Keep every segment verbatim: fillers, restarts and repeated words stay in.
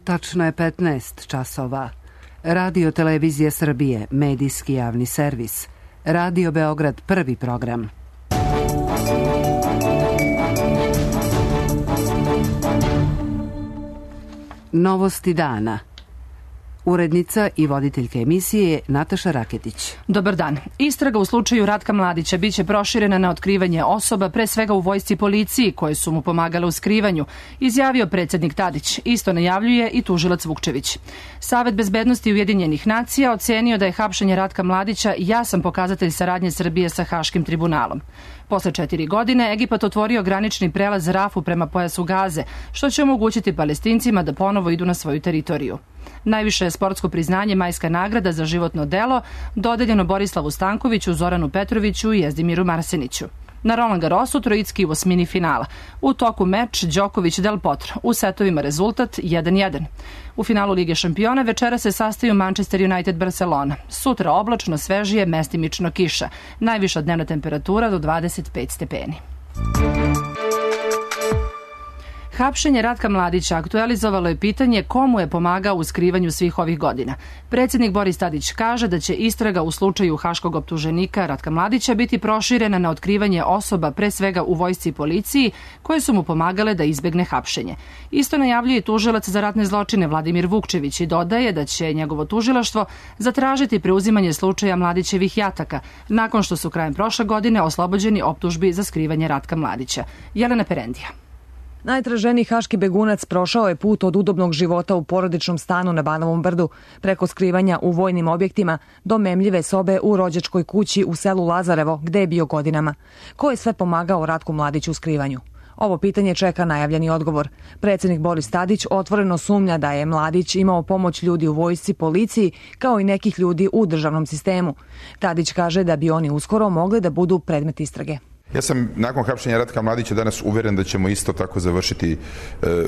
Tačno je petnaest časova. Radio Televizija Srbije, medijski javni servis. Radio Beograd, prvi program. Novosti dana. Urednica i voditeljka emisije je Nataša Raketić. Dobar dan. Istraga u slučaju Ratka Mladića biće proširena na otkrivanje osoba, pre svega u vojsci i policiji, koje su mu pomagale u skrivanju, izjavio predsjednik Tadić. Isto najavljuje i tužilac Vukčević. Savet bezbednosti Ujedinjenih nacija ocenio da je hapšenje Ratka Mladića jasan pokazatelj saradnje Srbije sa Haškim tribunalom. Posle četiri godine Egipat otvorio granični prelaz Rafu prema pojasu Gaze, što će omogućiti Palestincima da ponovo idu na svoju teritoriju. Najviše sportsko priznanje Majska nagrada za životno delo dodeljeno Borislavu Stankoviću, Zoranu Petroviću i Jezdimiru Marseniću. Na Roland Garrosu trojicki u osmini finala. U toku meč Đoković-Del Potro. U setovima rezultat jedan jedan. U finalu Lige šampiona večera se sastaju Manchester United-Barcelona. Sutra oblačno, svežije, mestimično kiša. Najviša dnevna temperatura do dvadeset pet stepeni. Hapšenje Ratka Mladića aktualizovalo je pitanje komu je pomagao u skrivanju svih ovih godina. Predsjednik Boris Tadić kaže da će istraga u slučaju haškog optuženika Ratka Mladića biti proširena na otkrivanje osoba, pre svega u vojsci i policiji, koje su mu pomagale da izbegne hapšenje. Isto najavljuje i tužilac za ratne zločine Vladimir Vukčević i dodaje da će njegovo tužilaštvo zatražiti preuzimanje slučaja Mladićevih jataka, nakon što su krajem prošle godine oslobođeni optužbi za skrivanje Ratka Mladića. Jelena Perendija. Najtraženiji haški begunac prošao je put od udobnog života u porodičnom stanu na Banovom brdu, preko skrivanja u vojnim objektima, do memljive sobe u rođačkoj kući u selu Lazarevo, gde je bio godinama. Ko je sve pomagao Ratku Mladiću u skrivanju? Ovo pitanje čeka najavljeni odgovor. Predsjednik Boris Tadić otvoreno sumnja da je Mladić imao pomoć ljudi u vojsci, policiji, kao i nekih ljudi u državnom sistemu. Tadić kaže da bi oni uskoro mogli da budu predmet istrage. Ja sam nakon hapšenja Ratka Mladića danas uveren da ćemo isto tako završiti e,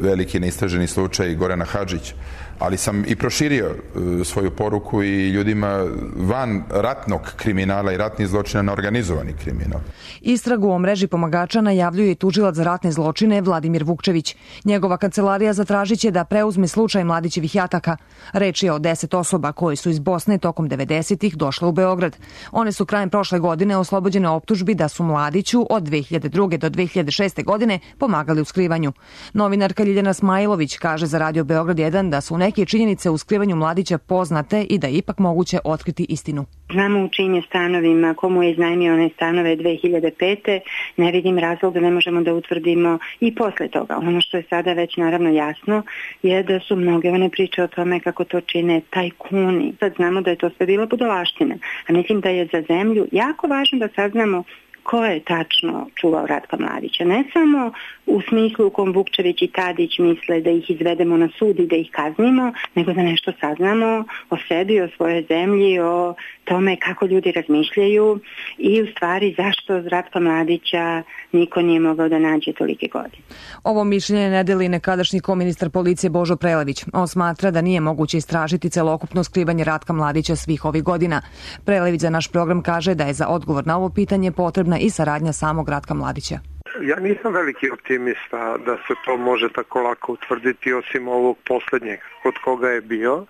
veliki neistraženi slučaj Gorana Hadžića, ali sam i proširio e, svoju poruku i ljudima van ratnog kriminala i ratnih zločina na organizovani kriminal. Istragu o mreži pomagača najavljuje i tužilac za ratne zločine Vladimir Vukčević. Njegova kancelarija zatražit će da preuzme slučaj Mladićevih jataka. Reč je o deset osoba koje su iz Bosne tokom devedesetih došle u Beograd. One su krajem prošle godine oslobođene optužbi da su Mladiću od dve hiljade druge do dve hiljade šeste. godine pomagali u skrivanju. Novinarka Ljiljana Smajlović kaže za Radio Beograd jedan da su neke činjenice u skrivanju Mladića poznate i da je ipak moguće otkriti istinu. Znamo u čijim je stanovima, komu je iznajmio one stanove dve hiljade pete. Ne vidim razlog da ne možemo da utvrdimo i posle toga. Ono što je sada već naravno jasno je da su mnoge one priče o tome kako to čine tajkuni. Sad znamo da je to sve bila budalaština. A mislim da je za zemlju jako važno da saznamo ko je tačno čuvao Ratka Mladića. Ne samo u smislu u kom Vukčević i Tadić misle da ih izvedemo na sud i da ih kaznimo, nego da nešto saznamo o sebi, o svojoj zemlji, o tome kako ljudi razmišljaju i u stvari zašto Ratka Mladića niko nije mogao da nađe tolike godine. Ovo mišljenje ne deli nekadašnji koministar policije Božo Prelević. On smatra da nije moguće istražiti celokupno skrivanje Ratka Mladića svih ovih godina. Prelević za naš program kaže da je za odgovor na ovo pitanje potrebna i saradnja samog Ratka Mladića. Ja nisam veliki optimista da se to može tako lako utvrditi osim ovog posljednjeg kod koga je bio.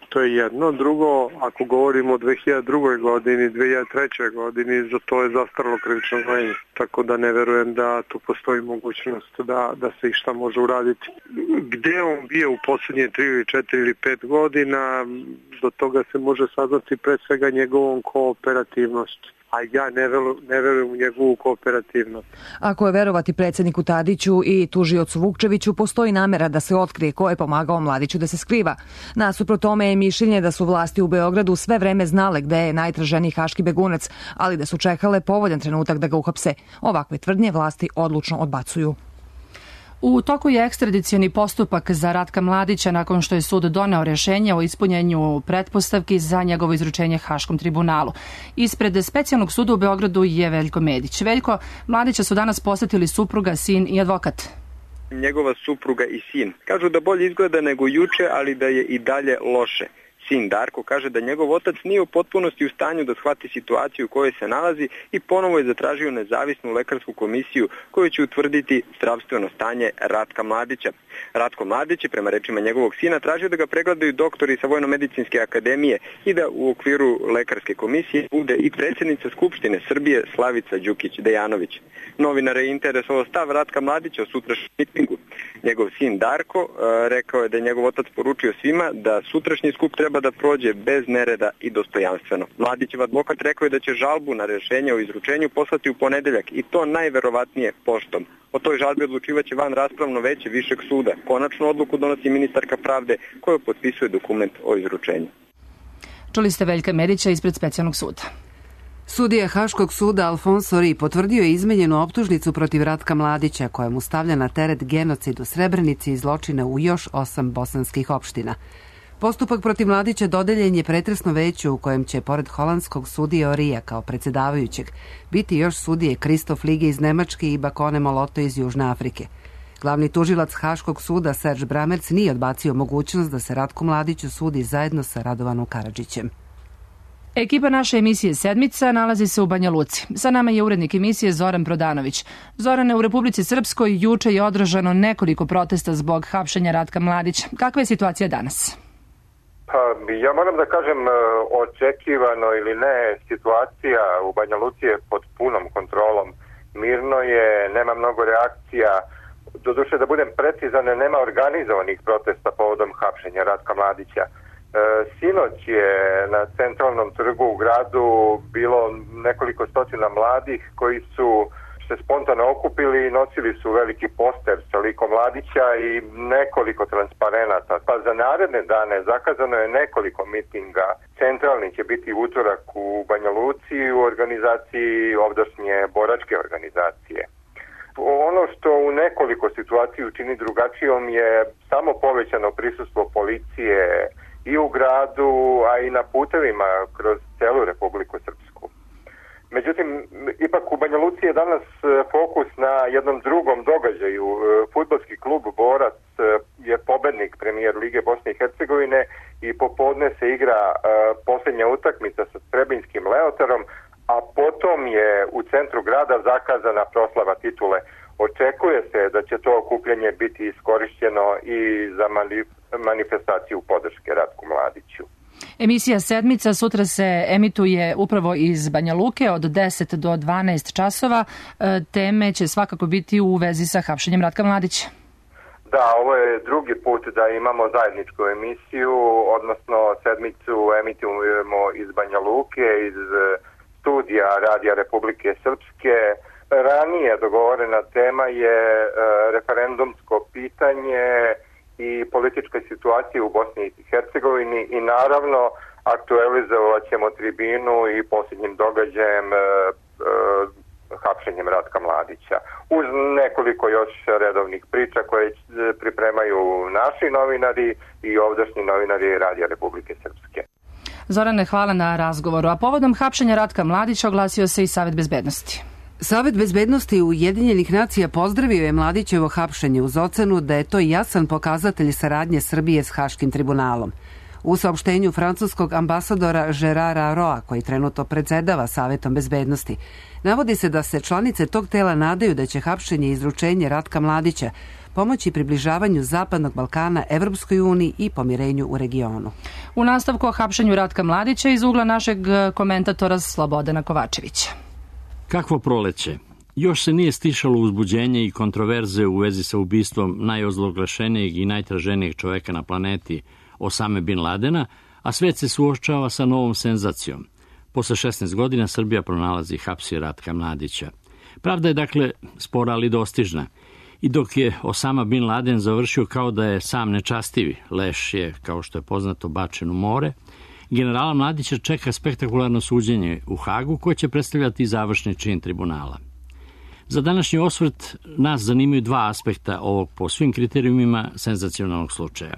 To je jedno. Drugo, ako govorimo o dve hiljade druge. godini, dve hiljade treće. godini, za to je zastaralo krivično gonjenje. Tako da ne verujem da tu postoji mogućnost da, da se išta može uraditi. Gde on bio u posljednje tri ili četiri ili pet godina, do toga se može saznati pre svega njegovom kooperativnosti. A ja ne, veru, ne verujem u njegovu kooperativnost. Ako je verovati predsjedniku Tadiću i tužiocu Vukčeviću, postoji namera da se otkrije ko je pomagao Mladiću da se skriva. Nasuprot tome je mišljenje da su vlasti u Beogradu sve vreme znale gde je najtraženiji haški begunac, ali da su čekale povoljan trenutak da ga uhapse. Ovakve tvrdnje vlasti odlučno odbacuju. U toku je ekstradicioni postupak za Ratka Mladića nakon što je sud doneo rješenje o ispunjenju pretpostavki za njegovo izručenje Haškom tribunalu. Ispred specijalnog suda u Beogradu je Veljko Medić. Veljko, Mladića su danas posjetili supruga, sin i advokat. Njegova supruga i sin. Kažu da bolje izgleda nego juče, ali da je i dalje loše. sin Darko kaže da njegov otac nije u potpunosti u stanju da shvati situaciju u kojoj se nalazi i ponovo je zatražio nezavisnu lekarsku komisiju koju će utvrditi zdravstveno stanje Ratka Mladića. Ratko Mladić je prema rečima njegovog sina tražio da ga pregledaju doktori sa Vojno-medicinske akademije i da u okviru lekarske komisije bude i predsjednica Skupštine Srbije Slavica Đukić-Dejanović. Novinare je interesovao stav Ratka Mladića o sutrašnjem mitingu. Njegov sin Darko e, rekao je da je njegov otac poručio svima da sutrašnji skup treba da prođe bez nereda i dostojanstveno. Mladićev advokat rekao je da će žalbu na rješenje o izručenju poslati u ponedeljak i to najverovatnije poštom. O toj žalbi odlučivaće van raspravno veće Višeg suda. Konačnu odluku donosi ministarka pravde koja potpisuje dokument o izručenju. Čuli ste Veljka Medića ispred specijalnog suda. Sudija Haškog suda Alfonso Ri potvrdio je izmenjenu optužnicu protiv Ratka Mladića koja mu stavlja na teret genocid u Srebrenici i zločine u još osam bosanskih opština. Postupak protiv Mladića dodeljen je pretresno veću u kojem će, pored holandskog sudije Orija kao predsjedavajućeg, biti još sudije Kristof Lige iz Nemačke i Bakone Moloto iz Južne Afrike. Glavni tužilac Haškog suda Serge Bramerc nije odbacio mogućnost da se Ratku Mladiću sudi zajedno sa Radovanom Karadžićem. Ekipa naše emisije Sedmica nalazi se u Banja Luci. Sa nama je urednik emisije Zoran Prodanović. Zorane, u Republici Srpskoj juče je održano nekoliko protesta zbog hapšenja Ratka Mladića. Kakva je situacija danas? Pa, ja moram da kažem, očekivano ili ne, situacija u Banja Luci je pod punom kontrolom. Mirno je, nema mnogo reakcija. Doduše, da budem precizan, nema organizovanih protesta povodom hapšenja Ratka Mladića. Sinoć je na centralnom trgu u gradu bilo nekoliko stotina mladih koji su se spontano okupili i nosili su veliki poster sa likom Mladića i nekoliko transparenata. Pa za naredne dane zakazano je nekoliko mitinga. Centralni će biti utorak u Banja Luci u organizaciji ovdašnje boračke organizacije. Ono što u nekoliko situaciju čini drugačijom je samo povećano prisustvo policije i u gradu, a i na putevima kroz celu Republiku Srpsku. Međutim, ipak u Banja Luci je danas fokus na jednom drugom događaju. Fudbalski klub Borac je pobednik premijer Lige Bosne i Hercegovine i popodne se igra posljednja utakmica sa Srebrenskim Leotarom, a potom je u centru grada zakazana proslava titule. Očekuje se da će to okupljanje biti iskorišćeno i za manifestaciju podrške Ratku Mladiću. Emisija Sedmica sutra se emituje upravo iz Banja Luke od deset do dvanaest časova. Teme će svakako biti u vezi sa hapšenjem Ratka Mladića. Da, ovo je drugi put da imamo zajedničku emisiju, odnosno Sedmicu emitujemo iz Banja Luke, iz studija Radija Republike Srpske. Ranije dogovorena tema je e, referendumsko pitanje i politička situacija u Bosni i Hercegovini i naravno aktualizovat ćemo tribinu i posljednjim događajem e, e, hapšenjem Ratka Mladića. Uz nekoliko još redovnih priča koje pripremaju naši novinari i ovdašnji novinari Radija Republike Srpske. Zorane, hvala na razgovoru. A povodom hapšenja Ratka Mladića oglasio se i Savet bezbednosti. Savet bezbednosti Ujedinjenih nacija pozdravio je Mladićevo hapšenje uz ocenu da je to jasan pokazatelj saradnje Srbije s Haškim tribunalom. U saopštenju francuskog ambasadora Gerara Roa, koji trenutno predsedava Savetom bezbednosti, navodi se da se članice tog tela nadaju da će hapšenje i izručenje Ratka Mladića pomoći približavanju Zapadnog Balkana Evropskoj uniji i pomirenju u regionu. U nastavku o hapšenju Ratka Mladića iz ugla našeg komentatora Slobodana Kovačevića. Kakvo proleće? Još se nije stišalo uzbuđenje i kontroverze u vezi sa ubistvom najozloglašenijeg i najtraženijeg čoveka na planeti, Osame Bin Ladena, a svet se suočava sa novom senzacijom. Posle šesnaest godina Srbija pronalazi i hapsi Ratka Mladića. Pravda je dakle spora ali dostižna. I dok je Osama Bin Laden završio kao da je sam nečastivi, leš je, kao što je poznato, bačen u more, generala Mladića čeka spektakularno suđenje u Hagu koje će predstavljati završni čin tribunala. Za današnji osvrt nas zanimaju dva aspekta ovog po svim kriterijumima senzacionalnog slučaja.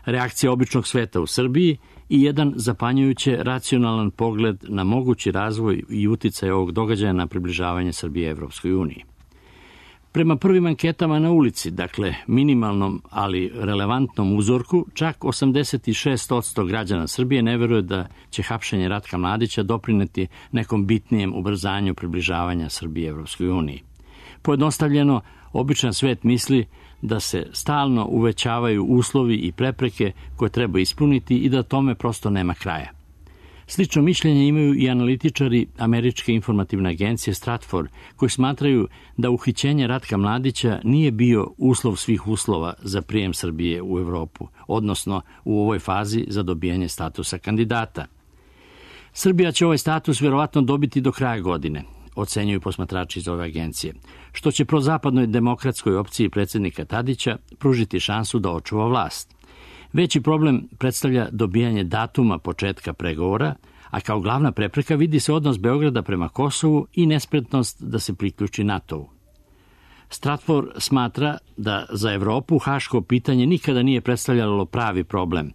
Reakcija običnog sveta u Srbiji i jedan zapanjujuće racionalan pogled na mogući razvoj i uticaj ovog događaja na približavanje Srbije Evropskoj uniji. Prema prvim anketama na ulici, dakle minimalnom, ali relevantnom uzorku, čak osamdeset šest posto građana Srbije ne veruje da će hapšenje Ratka Mladića doprineti nekom bitnijem ubrzanju približavanja Srbije Evropskoj uniji. Pojednostavljeno, običan svet misli da se stalno uvećavaju uslovi i prepreke koje treba ispuniti i da tome prosto nema kraja. Slično mišljenje imaju i analitičari Američke informativne agencije Stratfor, koji smatraju da uhićenje Ratka Mladića nije bio uslov svih uslova za prijem Srbije u Evropu, odnosno u ovoj fazi za dobijanje statusa kandidata. Srbija će ovaj status vjerovatno dobiti do kraja godine, ocenjuju posmatrači iz ove agencije, što će prozapadnoj demokratskoj opciji predsjednika Tadića pružiti šansu da očuva vlast. Veći problem predstavlja dobijanje datuma početka pregovora, a kao glavna prepreka vidi se odnos Beograda prema Kosovu i nespretnost da se priključi NATO-u. Stratfor smatra da za Evropu haško pitanje nikada nije predstavljalo pravi problem,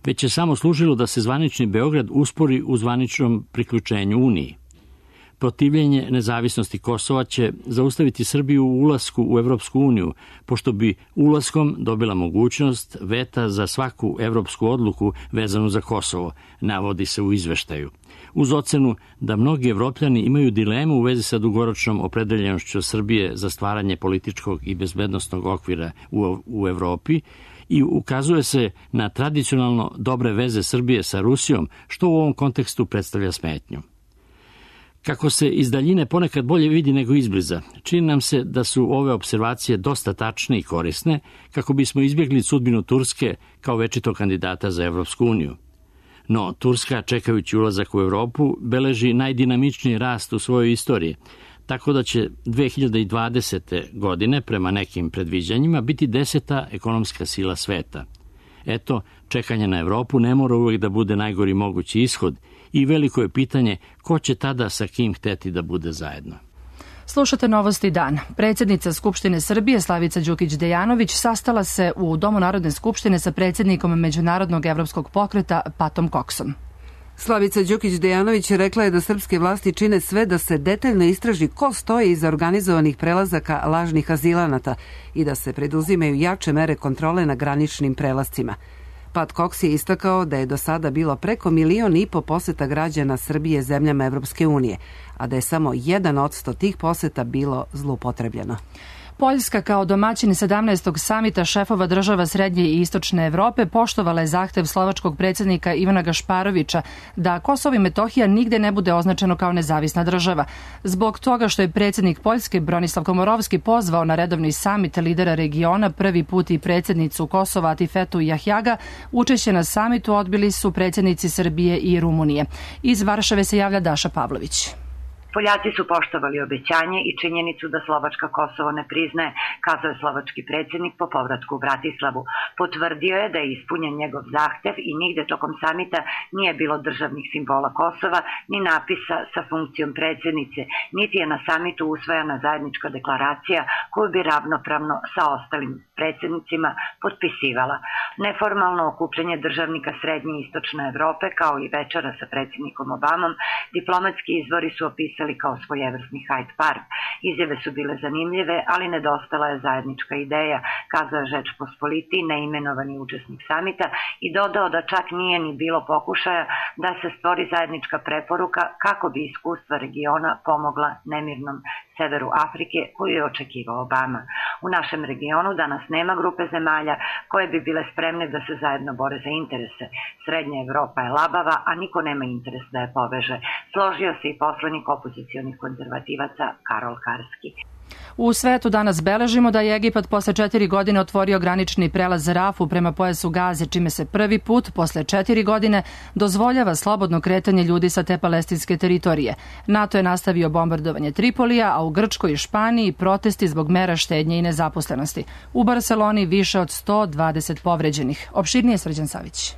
već je samo služilo da se zvanični Beograd uspori u zvaničnom priključenju Uniji. Protivljenje nezavisnosti Kosova će zaustaviti Srbiju u ulasku u Evropsku uniju, pošto bi ulaskom dobila mogućnost veta za svaku evropsku odluku vezanu za Kosovo, navodi se u izveštaju. Uz ocenu da mnogi Evropljani imaju dilemu u vezi sa dugoročnom opredeljenošću Srbije za stvaranje političkog i bezbednosnog okvira u, u Evropi, i ukazuje se na tradicionalno dobre veze Srbije sa Rusijom, što u ovom kontekstu predstavlja smetnju. Kako se iz daljine ponekad bolje vidi nego izbliza, čini nam se da su ove observacije dosta tačne i korisne kako bismo izbjegli sudbinu Turske kao večitog kandidata za Evropsku uniju. No, Turska, čekajući ulazak u Evropu, beleži najdinamičniji rast u svojoj istoriji, tako da će dve hiljade dvadesete. godine, prema nekim predviđanjima, biti deseta ekonomska sila sveta. Eto, čekanje na Evropu ne mora uvijek da bude najgori mogući ishod i veliko je pitanje ko će tada sa kim hteti da bude zajedno. Slušate Novosti dan. Predsjednica Skupštine Srbije Slavica Đukić-Dejanović sastala se u Domu Narodne skupštine sa predsjednikom Međunarodnog evropskog pokreta Patom Koksom. Slavica Đukić-Dejanović rekla je da srpske vlasti čine sve da se detaljno istraži ko stoji iza organizovanih prelazaka lažnih azilanata i da se preduzimaju jače mere kontrole na graničnim prelazcima. Pat Cox je istakao da je do sada bilo preko milion i po poseta građana Srbije zemljama Evropske unije, a da je samo jedan odsto tih poseta bilo zloupotrebljeno. Poljska kao domaćin sedamnaestog samita šefova država Srednje i Istočne Evrope poštovala je zahtev slovačkog predsjednika Ivana Gašparovića da Kosovo i Metohija nigde ne bude označeno kao nezavisna država. Zbog toga što je predsjednik Poljske Bronislav Komorovski pozvao na redovni samit lidera regiona prvi put i predsjednicu Kosova Atifetu Jahjaga, učešće na samitu odbili su predsjednici Srbije i Rumunije. Iz Varšave se javlja Daša Pavlović. Poljaci su poštovali obećanje i činjenicu da Slovačka Kosovo ne priznaje, kazao je slovački predsjednik po povratku u Bratislavu. Potvrdio je da je ispunjen njegov zahtev i nigde tokom samita nije bilo državnih simbola Kosova, ni napisa sa funkcijom predsjednice, niti je na samitu usvojena zajednička deklaracija koju bi ravnopravno sa ostalim predsjednicima potpisivala. Neformalno okupljanje državnika Srednje i Istočne Evrope, kao i večera sa predsjednikom Obamom, diplomatski izvori su opisali kao svojevrsni Hyde Park. Izjave su bile zanimljive, ali nedostala je zajednička ideja, kazao je Žeč Pospoliti, neimenovani učesnik samita, i dodao da čak nije ni bilo pokušaja da se stvori zajednička preporuka kako bi iskustva regiona pomogla nemirnom severu Afrike koju je očekivao Obama. U našem regionu danas nema grupe zemalja koje bi bile spremne da se zajedno bore za interese. Srednja Evropa je labava, a niko nema interes da je poveže. Složio se i poslanik opozicionih konzervativaca Karol Karski. U svetu danas beležimo da je Egipat posle četiri godine otvorio granični prelaz Rafu prema pojasu Gaze, čime se prvi put posle četiri godine dozvoljava slobodno kretanje ljudi sa te palestinske teritorije. NATO je nastavio bombardovanje Tripolija, a u Grčkoj i Španiji protesti zbog mera štednje i nezaposlenosti. U Barseloni više od sto dvadeset povređenih. Opširnije Srđan Savić.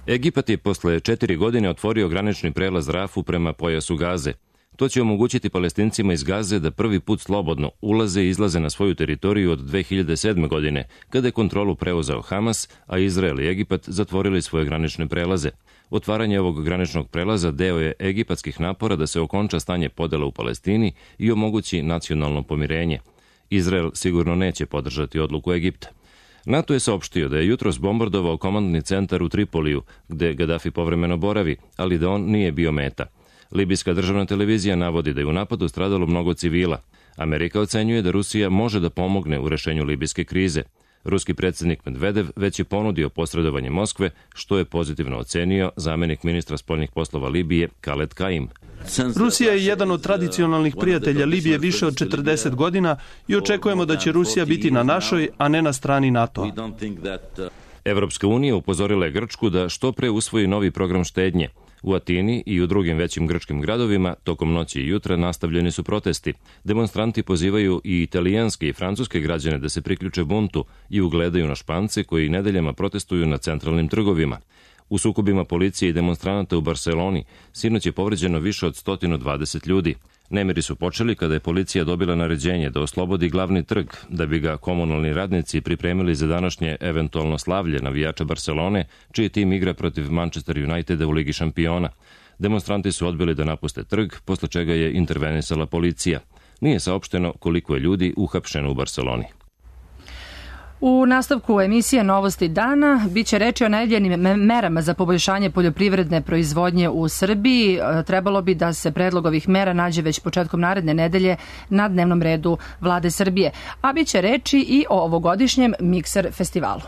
Egipat je posle četiri godine otvorio granični prelaz Rafu prema pojasu Gaze. To će omogućiti Palestincima iz Gaze da prvi put slobodno ulaze i izlaze na svoju teritoriju od dve hiljade sedme. godine, kada je kontrolu preuzeo Hamas, a Izrael i Egipat zatvorili svoje granične prelaze. Otvaranje ovog graničnog prelaza deo je egipatskih napora da se okonča stanje podela u Palestini i omogući nacionalno pomirenje. Izrael sigurno neće podržati odluku Egipta. NATO je saopštio da je jutros bombardovao komandni centar u Tripoliju, gde Gadafi povremeno boravi, ali da on nije bio meta. Libijska državna televizija navodi da je u napadu stradalo mnogo civila. Amerika ocenjuje da Rusija može da pomogne u rešenju libijske krize. Ruski predsjednik Medvedev već je ponudio posredovanje Moskve, što je pozitivno ocenio zamenik ministra spoljnih poslova Libije Khaled Kaim. Rusija je jedan od tradicionalnih prijatelja Libije više od četrdeset godina i očekujemo da će Rusija biti na našoj, a ne na strani NATO-a. Evropska unija upozorila je Grčku da što pre usvoji novi program štednje. U Atini i u drugim većim grčkim gradovima tokom noći i jutra nastavljeni su protesti. Demonstranti pozivaju i italijanske i francuske građane da se priključe buntu i ugledaju na Špance koji nedeljama protestuju na centralnim trgovima. U sukobima policije i demonstranata u Barseloni sinoć je povređeno više od sto dvadeset ljudi. Nemiri su počeli kada je policija dobila naređenje da oslobodi glavni trg, da bi ga komunalni radnici pripremili za današnje eventualno slavlje navijača Barcelone, čiji tim igra protiv Manchester Uniteda u Ligi šampiona. Demonstranti su odbili da napuste trg, posle čega je intervenisala policija. Nije saopšteno koliko je ljudi uhapšeno u Barceloni. U nastavku emisije Novosti dana biće reči o najavljenim merama za poboljšanje poljoprivredne proizvodnje u Srbiji. Trebalo bi da se predlog ovih mera nađe već početkom naredne nedelje na dnevnom redu Vlade Srbije. A biće reči i o ovogodišnjem Mikser festivalu.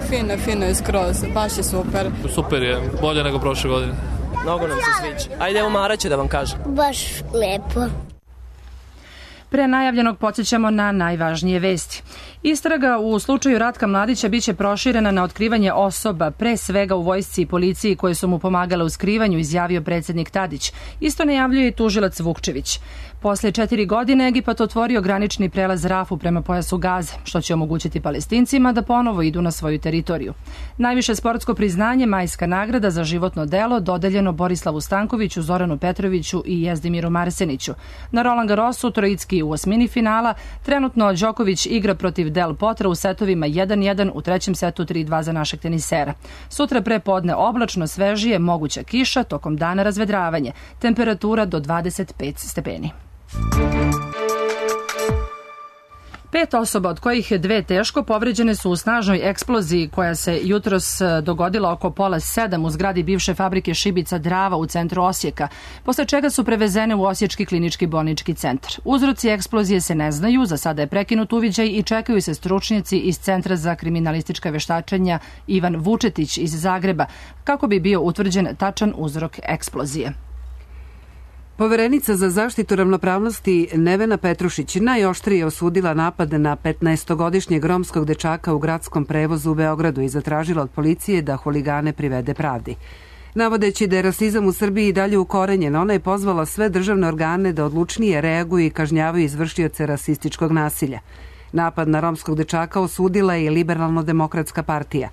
Fino, fino je skroz, baš je super. Super je, bolje nego prošle godine. Mnogo nam se sviđa. Ajde, evo Mara će da vam kaže. Baš lepo. Pre najavljenog podsjećamo na najvažnije vesti. Istraga u slučaju Ratka Mladića biće proširena na otkrivanje osoba, pre svega u vojsci i policiji koje su mu pomagale u skrivanju, izjavio predsjednik Tadić. Isto najavljuje i tužilac Vukčević. Posle četiri godine Egipat otvorio granični prelaz Rafu prema pojasu Gaze, što će omogućiti Palestincima da ponovo idu na svoju teritoriju. Najviše sportsko priznanje, majska nagrada za životno delo, dodeljeno Borislavu Stankoviću, Zoranu Petroviću i Jezdimiru Marseniću. Na Roland Garrosu trojicki u osmini finala, trenutno Đoković igra protiv Del Potra u setovima jedan jedan, u trećem setu tri dva za našeg tenisera. Sutra pre podne oblačno, svežije, moguća kiša, tokom dana razvedravanje. Temperatura do dvadeset pet stepeni. Pet osoba, od kojih dve teško, povređene su u snažnoj eksploziji koja se jutros dogodila oko pola sedam u zgradi bivše fabrike šibica Drava u centru Osijeka, posle čega su prevezene u Osječki klinički bolnički centar. Uzroci eksplozije se ne znaju, za sada je prekinut uviđaj i čekaju se stručnjaci iz Centra za kriminalistička veštačenja Ivan Vučetić iz Zagreba, kako bi bio utvrđen tačan uzrok eksplozije. Poverenica za zaštitu ravnopravnosti Nevena Petrušić najoštrije osudila napad na petnaestogodišnjeg romskog dečaka u gradskom prevozu u Beogradu i zatražila od policije da huligane privede pravdi. Navodeći da je rasizam u Srbiji dalje ukorenjen, ona je pozvala sve državne organe da odlučnije reaguju i kažnjavaju izvršioce rasističkog nasilja. Napad na romskog dečaka osudila je i Liberalno-demokratska partija.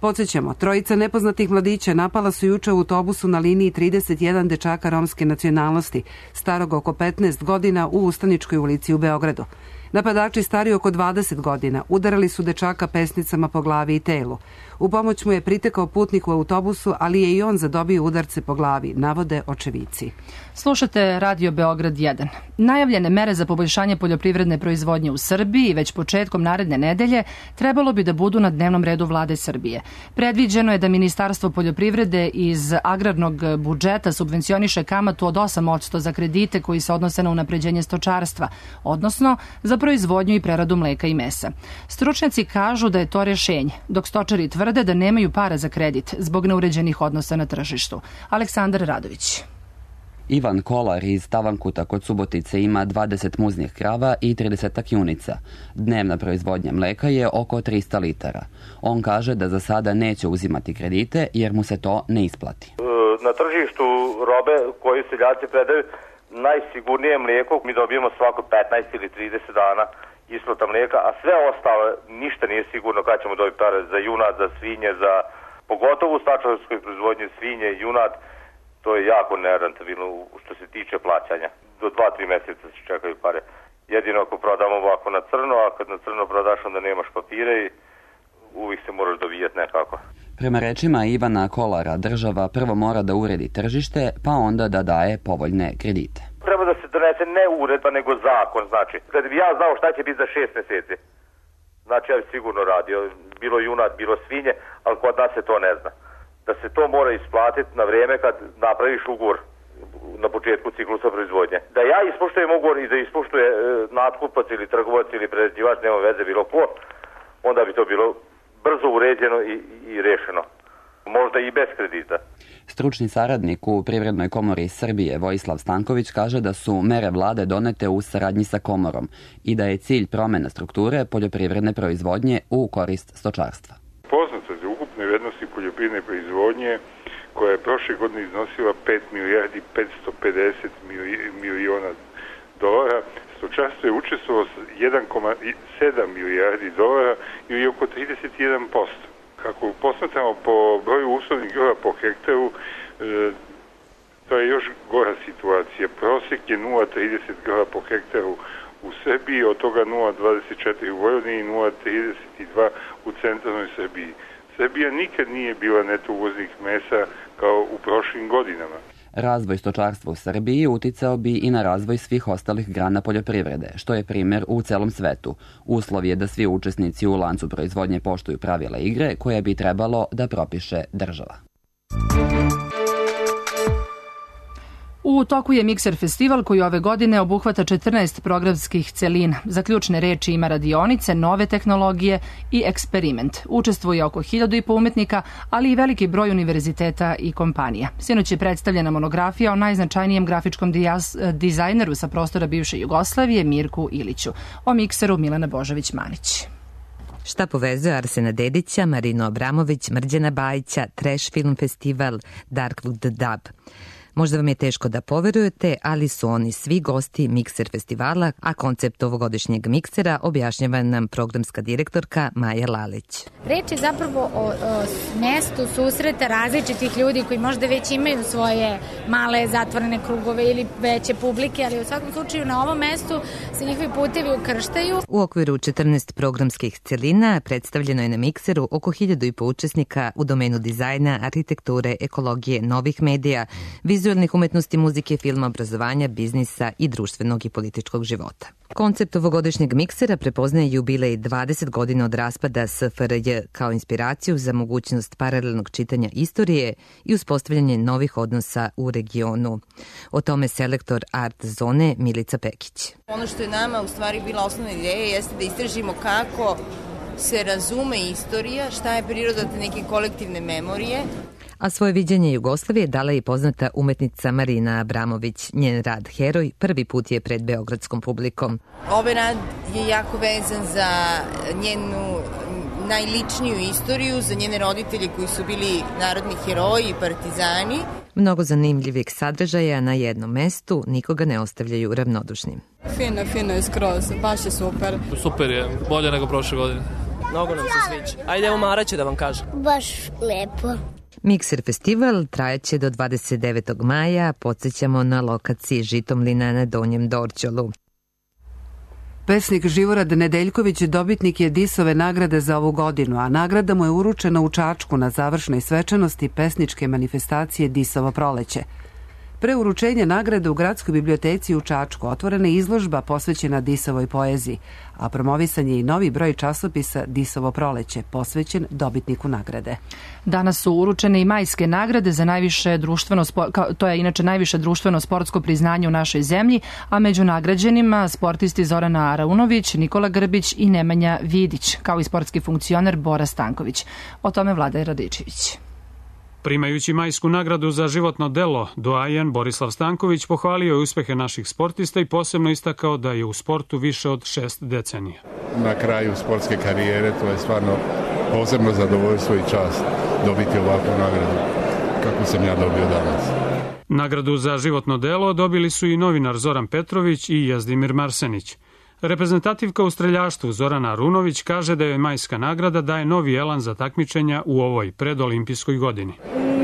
Podsjećamo, trojica nepoznatih mladića napala su juče u autobusu na liniji trideset jedan dečaka romske nacionalnosti, starog oko petnaest godina u Ustaničkoj ulici u Beogradu. Napadači stari oko dvadeset godina udarali su dečaka pesnicama po glavi i telu. U pomoć mu je pritekao putnik u autobusu, ali je i on zadobio udarce po glavi, navode očevici. Slušate Radio Beograd jedan. Najavljene mere za poboljšanje poljoprivredne proizvodnje u Srbiji već početkom naredne nedelje trebalo bi da budu na dnevnom redu Vlade Srbije. Predviđeno je da Ministarstvo poljoprivrede iz agrarnog budžeta subvencioniše kamatu od osam posto za kredite koji se odnose na unapređenje stočarstva, odnosno za proizvodnju i preradu mleka i mesa. Stručnjaci kažu da je to rešenje, dok stočari tvrde da nemaju para za kredit zbog neuređenih odnosa na tržištu. Aleksandar Radović. Ivan Kolar iz Tavankuta kod Subotice ima dvadeset muznih krava i trideset junica. Dnevna proizvodnja mleka je oko trista litara. On kaže da za sada neće uzimati kredite jer mu se to ne isplati. Na tržištu robe koju seljaci predaju najsigurnije mlijeko mi dobijemo svako petnaest ili trideset dana isplata mlijeka, a sve ostalo ništa nije sigurno kada ćemo dobiti pare za junad, za svinje, za pogotovo u stočarskoj proizvodnji svinje i junad. To je jako nerentabilno što se tiče plaćanja. Do dva, tri mjeseca se čekaju pare. Jedino ako prodamo ovako na crno, a kad na crno prodaš onda nemaš papire i uvijek se moraš dovijati nekako. Prema rečima Ivana Kolara, država prvo mora da uredi tržište, pa onda da daje povoljne kredite. Treba da se donese donese ne uredba, nego zakon, znači. Kad bi ja znao šta će biti za šest meseci, znači ja bi sigurno radio, bilo junad, bilo svinje, ali kod nas se to ne zna. Da se to mora isplatiti na vrijeme kad napraviš ugovor na početku ciklusa proizvodnje. Da ja ispoštujem ugovor i da ispoštuje e, natkupac ili trgovac ili prerađivač, nema veze bilo ko, onda bi to bilo brzo uređeno i, i rešeno. Možda i bez kredita. Stručni saradnik u Privrednoj komori Srbije Vojislav Stanković kaže da su mere vlade donete u saradnji sa komorom i da je cilj promena strukture poljoprivredne proizvodnje u korist stočarstva. Poznata za ukupne vrednosti poljoprivredne proizvodnje koja je prošle godine iznosila pet milijardi petsto pedeset miliona dolara, stočarstvo je učestvovalo s jedan zarez sedam milijardi dolara ili oko trideset jedan posto. Kako posmatramo po broju uslovnih grla po hektaru, e, to je još gora situacija. Prosjek je nula zarez trideset grla po hektaru u Srbiji, od toga nula zarez dvadeset četiri u Vojvodini i nula zarez trideset dva u centralnoj Srbiji. Srbija nikad nije bila neto uvoznik mesa kao u prošlim godinama. Razvoj stočarstva u Srbiji uticao bi i na razvoj svih ostalih grana poljoprivrede, što je primjer u celom svetu. Uslov je da svi učesnici u lancu proizvodnje poštuju pravila igre koje bi trebalo da propiše država. U toku je Mikser festival koji ove godine obuhvata četrnaest programskih celina. Za ključne reči ima radionice, nove tehnologije i eksperiment. Učestvuje oko hiljadu i po umetnika, ali i veliki broj univerziteta i kompanija. Sinoć je predstavljena monografija o najznačajnijem grafičkom dizajneru sa prostora bivše Jugoslavije, Mirku Iliću. O Mikseru Milana Božović-Manić. Šta povezuje Arsena Dedića, Marinu Abramović, Mrđana Bajića, Trash Film Festival, Darkwood Dub. Možda vam je teško da poverujete, ali su oni svi gosti Mikser festivala, a koncept ovogodišnjeg miksera objašnjava nam programska direktorka Maja Lalić. Reč je zapravo o, o mestu susreta različitih ljudi koji možda već imaju svoje male zatvorene krugove ili veće publike, ali u svakom slučaju na ovom mestu se njihovi putevi ukrštaju. U okviru četrnaest programskih celina predstavljeno je na mikseru oko hiljadu i po učesnika u domenu dizajna, arhitekture, ekologije, novih medija, vizualnih umetnosti, muzike, filma, obrazovanja, biznisa i društvenog i političkog života. Koncept ovogodišnjeg miksera prepoznaje jubilej dvadeset godina od raspada S F R J kao inspiraciju za mogućnost paralelnog čitanja istorije i uspostavljanje novih odnosa u regionu. O tome selektor Art Zone Milica Pekić. Ono što je nama u stvari bila osnovna ideja jeste da istražimo kako se razume istorija, šta je priroda te neke kolektivne memorije. A svoje viđenje Jugoslavije dala je poznata umetnica Marina Abramović. Njen rad Heroj prvi put je pred beogradskom publikom. Ovaj rad je jako vezan za njenu najličniju istoriju, za njene roditelje koji su bili narodni heroji i partizani. Mnogo zanimljivih sadržaja na jednom mestu, nikoga ne ostavljaju ravnodušnim. Fino, fino je skroz, baš je super. Super je, bolje nego prošle godine. Mnogo nam se sviđa. Ajde, evo Mara će da vam kaže. Baš lepo. Mikser festival trajaće do dvadeset devetog maja, podsjećamo na lokaciji Žitomlina na Donjem Dorćolu. Pesnik Živorad Nedeljković dobitnik je Disove nagrade za ovu godinu, a nagrada mu je uručena u Čačku na završnoj svečanosti pesničke manifestacije Disovo proleće. Pre uručenja nagrade u Gradskoj biblioteci u Čačku otvorena je izložba posvećena Disovoj poeziji, a promovisan je i novi broj časopisa Disovo proleće, posvećen dobitniku nagrade. Danas su uručene i majske nagrade za najviše društveno, to je inače najviše društveno sportsko priznanje u našoj zemlji, a među nagrađenima sportisti Zorana Araunović, Nikola Grbić i Nemanja Vidić, kao i sportski funkcioner Bora Stanković. O tome Vlada Radičević. Primajući majsku nagradu za životno delo, doajen Borislav Stanković pohvalio je uspehe naših sportista i posebno istakao da je u sportu više od šest decenija. Na kraju sportske karijere to je stvarno posebno zadovoljstvo i čast dobiti ovakvu nagradu kako sam ja dobio danas. Nagradu za životno delo dobili su i novinar Zoran Petrović i Jazdimir Marsenić. Reprezentativka u streljaštvu Zorana Arunović kaže da je majska nagrada daje novi elan za takmičenja u ovoj predolimpijskoj godini.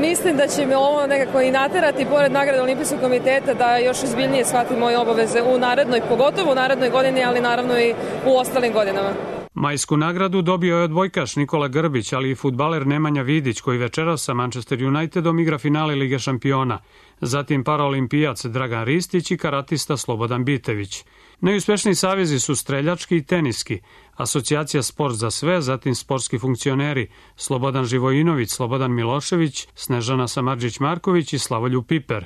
Mislim da će me ovo nekako i naterati, pored nagrade Olimpijskog komiteta, da još ozbiljnije shvatim moje obaveze u narednoj, pogotovo u narednoj godini, ali naravno i u ostalim godinama. Majsku nagradu dobio je odbojkaš Nikola Grbić, ali i fudbaler Nemanja Vidić, koji večeras sa Manchester Unitedom igra finale Lige šampiona. Zatim paraolimpijac Dragan Ristić i karatista Slobodan Bitević. Najuspešniji savezi su streljački i teniski, Asocijacija Sport za sve, zatim sportski funkcioneri Slobodan Živojinović, Slobodan Milošević, Snežana Samardžić-Marković i Slavoljub Piper.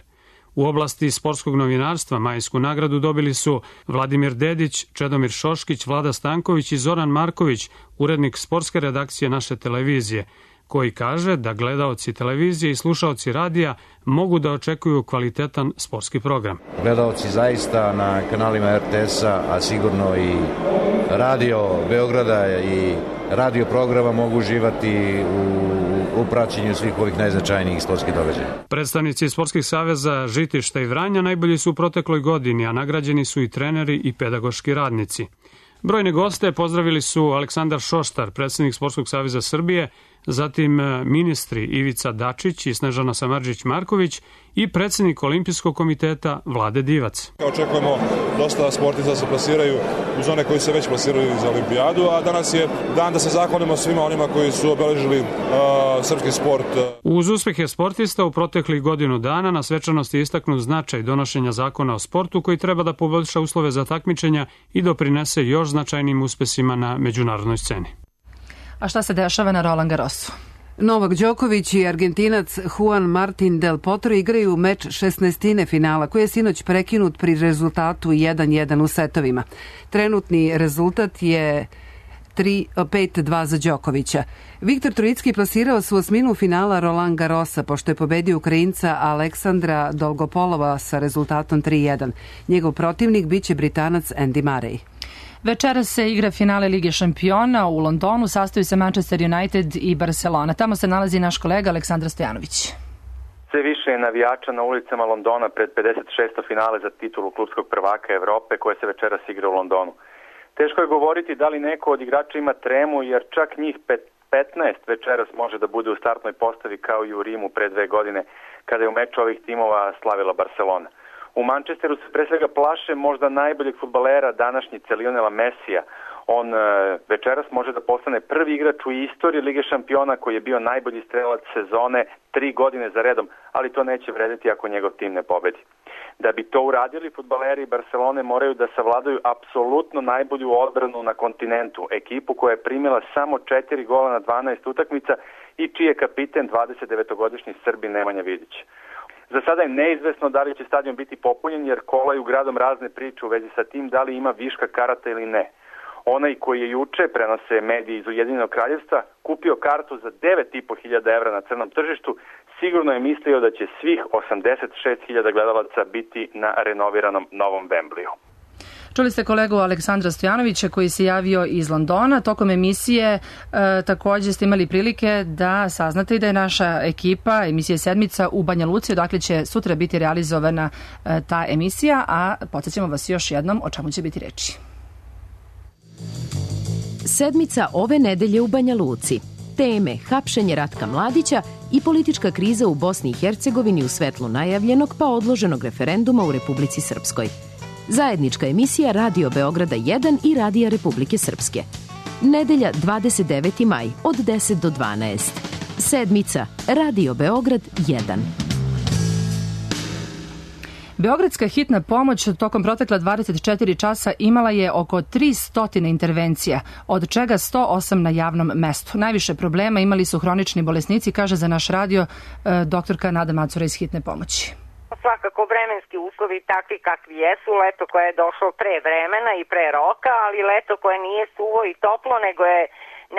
U oblasti sportskog novinarstva majsku nagradu dobili su Vladimir Dedić, Čedomir Šoškić, Vlada Stanković i Zoran Marković, urednik sportske redakcije naše televizije, koji kaže da gledaoci televizije i slušaoci radija mogu da očekuju kvalitetan sportski program. Gledaoci zaista na kanalima er te es-a, a sigurno i radio Beograda i radio programa mogu uživati u u praćenju svih ovih najznačajnijih sportskih događaja. Predstavnici sportskih saveza Žitišta i Vranja najbolji su u protekloj godini, a nagrađeni su i treneri i pedagoški radnici. Brojne goste pozdravili su Aleksandar Šoštar, predsjednik Sportskog saveza Srbije, zatim ministri Ivica Dačić i Snežana Samardžić-Marković i predsjednik Olimpijskog komiteta Vlade Divac. Očekujemo dosta sportista da se plasiraju uz one koji se već plasiraju za olimpijadu, a danas je dan da se zahvalimo svima onima koji su obeležili uh, srpski sport. Uz uspehe sportista u proteklih godinu dana na svečanosti je istaknut značaj donošenja zakona o sportu koji treba da poboljša uslove za takmičenja i doprinese još značajnim uspesima na međunarodnoj sceni. A šta se dešava na Roland Garrosu? Novak Đoković i Argentinac Juan Martin del Potro igraju meč šesnaestine finala, koji je sinoć prekinut pri rezultatu jedan jedan u setovima. Trenutni rezultat je pet dva za Đokovića. Viktor Trojicki plasirao se u osminu finala Roland Garrosa, pošto je pobedio Ukrajinca Aleksandra Dolgopolova sa rezultatom tri jedan. Njegov protivnik biće Britanac Andy Murray. Večeras se igra finale Lige šampiona u Londonu, sastoji se Manchester United i Barcelona. Tamo se nalazi naš kolega Aleksandar Stojanović. Sve više je navijača na ulicama Londona pred pedeset šesto finale za titulu klubskog prvaka Evrope koje se večeras igra u Londonu. Teško je govoriti da li neko od igrača ima tremu, jer čak njih petnaest večeras može da bude u startnoj postavi kao i u Rimu pre dve godine kada je u meču ovih timova slavila Barcelona. U Manchesteru se pre svega plaše možda najboljeg fudbalera današnjice Lionela Mesija. On e, večeras može da postane prvi igrač u istoriji Lige šampiona koji je bio najbolji strelac sezone tri godine za redom, ali to neće vredeti ako njegov tim ne pobedi. Da bi to uradili, fudbaleri Barcelone moraju da savladaju apsolutno najbolju odbranu na kontinentu, ekipu koja je primila samo četiri gola na dvanaest utakmica i čiji je kapiten dvadesetdevetogodišnji Srbin Nemanja Vidić. Za sada je neizvesno da li će stadion biti popunjen, jer kolaju gradom razne priče u vezi sa tim da li ima viška karata ili ne. Onaj koji je juče, prenose mediji iz Ujedinjenog kraljevstva, kupio kartu za devet i po hiljada evra na crnom tržištu, sigurno je mislio da će svih osamdeset šest hiljada gledalaca biti na renoviranom novom Wembleyu. Čuli ste kolegu Aleksandra Stojanovića koji se javio iz Londona. Tokom emisije e, također ste imali prilike da saznate i da je naša ekipa, emisija Sedmica u Banja Luci, odakle će sutra biti realizovana e, ta emisija, a podsjećamo vas još jednom o čemu će biti reči. Sedmica ove nedelje u Banja Luci. Teme hapšenje Ratka Mladića i politička kriza u Bosni i Hercegovini u svetlu najavljenog pa odloženog referenduma u Republici Srpskoj. Zajednička emisija Radio Beograda jedan i Radija Republike Srpske. Nedelja dvadeset deveti maj od deset do dvanaest. Sedmica Radio Beograd jedan. Beogradska hitna pomoć tokom protekla dvadeset četiri časa imala je oko tristo intervencija, od čega sto osam na javnom mestu. Najviše problema imali su hronični bolesnici, kaže za naš radio e, doktorka Nada Macura iz hitne pomoći. Svakako vremenski uslovi takvi kakvi jesu, leto koje je došlo pre vremena i pre roka, ali leto koje nije suvo i toplo, nego je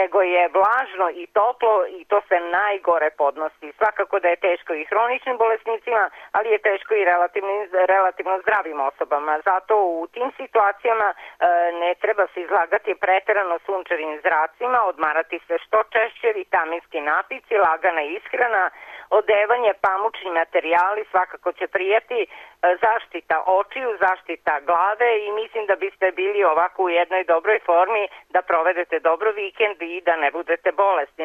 nego je vlažno i toplo i to se najgore podnosi. Svakako da je teško i hroničnim bolesnicima, ali je teško i relativno, relativno zdravim osobama. Zato u tim situacijama e, ne treba se izlagati preterano sunčevim zracima, odmarati se što češće, vitaminski napici, lagana ishrana, odevanje, pamučni materijali svakako će prijeti, zaštita očiju, zaštita glave i mislim da biste bili ovako u jednoj dobroj formi da provedete dobro vikend i da ne budete bolesni.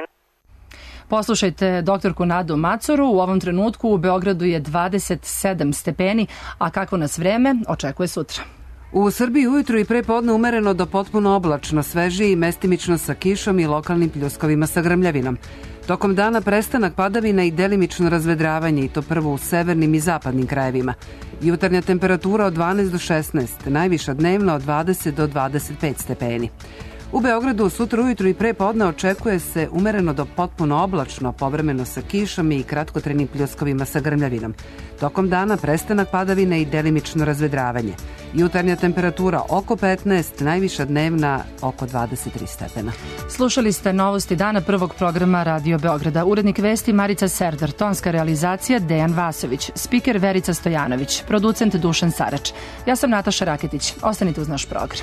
Poslušajte doktorku Nadu Macoru. U ovom trenutku u Beogradu je dvadeset sedam stepeni, a kako nas vreme očekuje sutra. U Srbiji ujutru i pre podne umereno do potpuno oblačno, svežije i mestimično sa kišom i lokalnim pljuskovima sa grmljavinom. Tokom dana prestanak padavina i delimično razvedravanje, i to prvo u severnim i zapadnim krajevima. Jutarnja temperatura od dvanaest do šesnaest, najviša dnevna od dvadeset do dvadeset pet stepeni. U Beogradu sutra ujutru i pre podne očekuje se umereno do potpuno oblačno, povremeno sa kišom i kratkotrenim pljuskovima sa grmljavinom. Tokom dana prestanak padavina i delimično razvedravanje. Jutarnja temperatura oko petnaest, najviša dnevna oko dvadeset tri stepena. Slušali ste novosti dana prvog programa Radio Beograda. Urednik vesti Marica Serdar, tonska realizacija Dejan Vasović, spiker Verica Stojanović, producent Dušan Sarač. Ja sam Nataša Raketić. Ostanite uz naš program.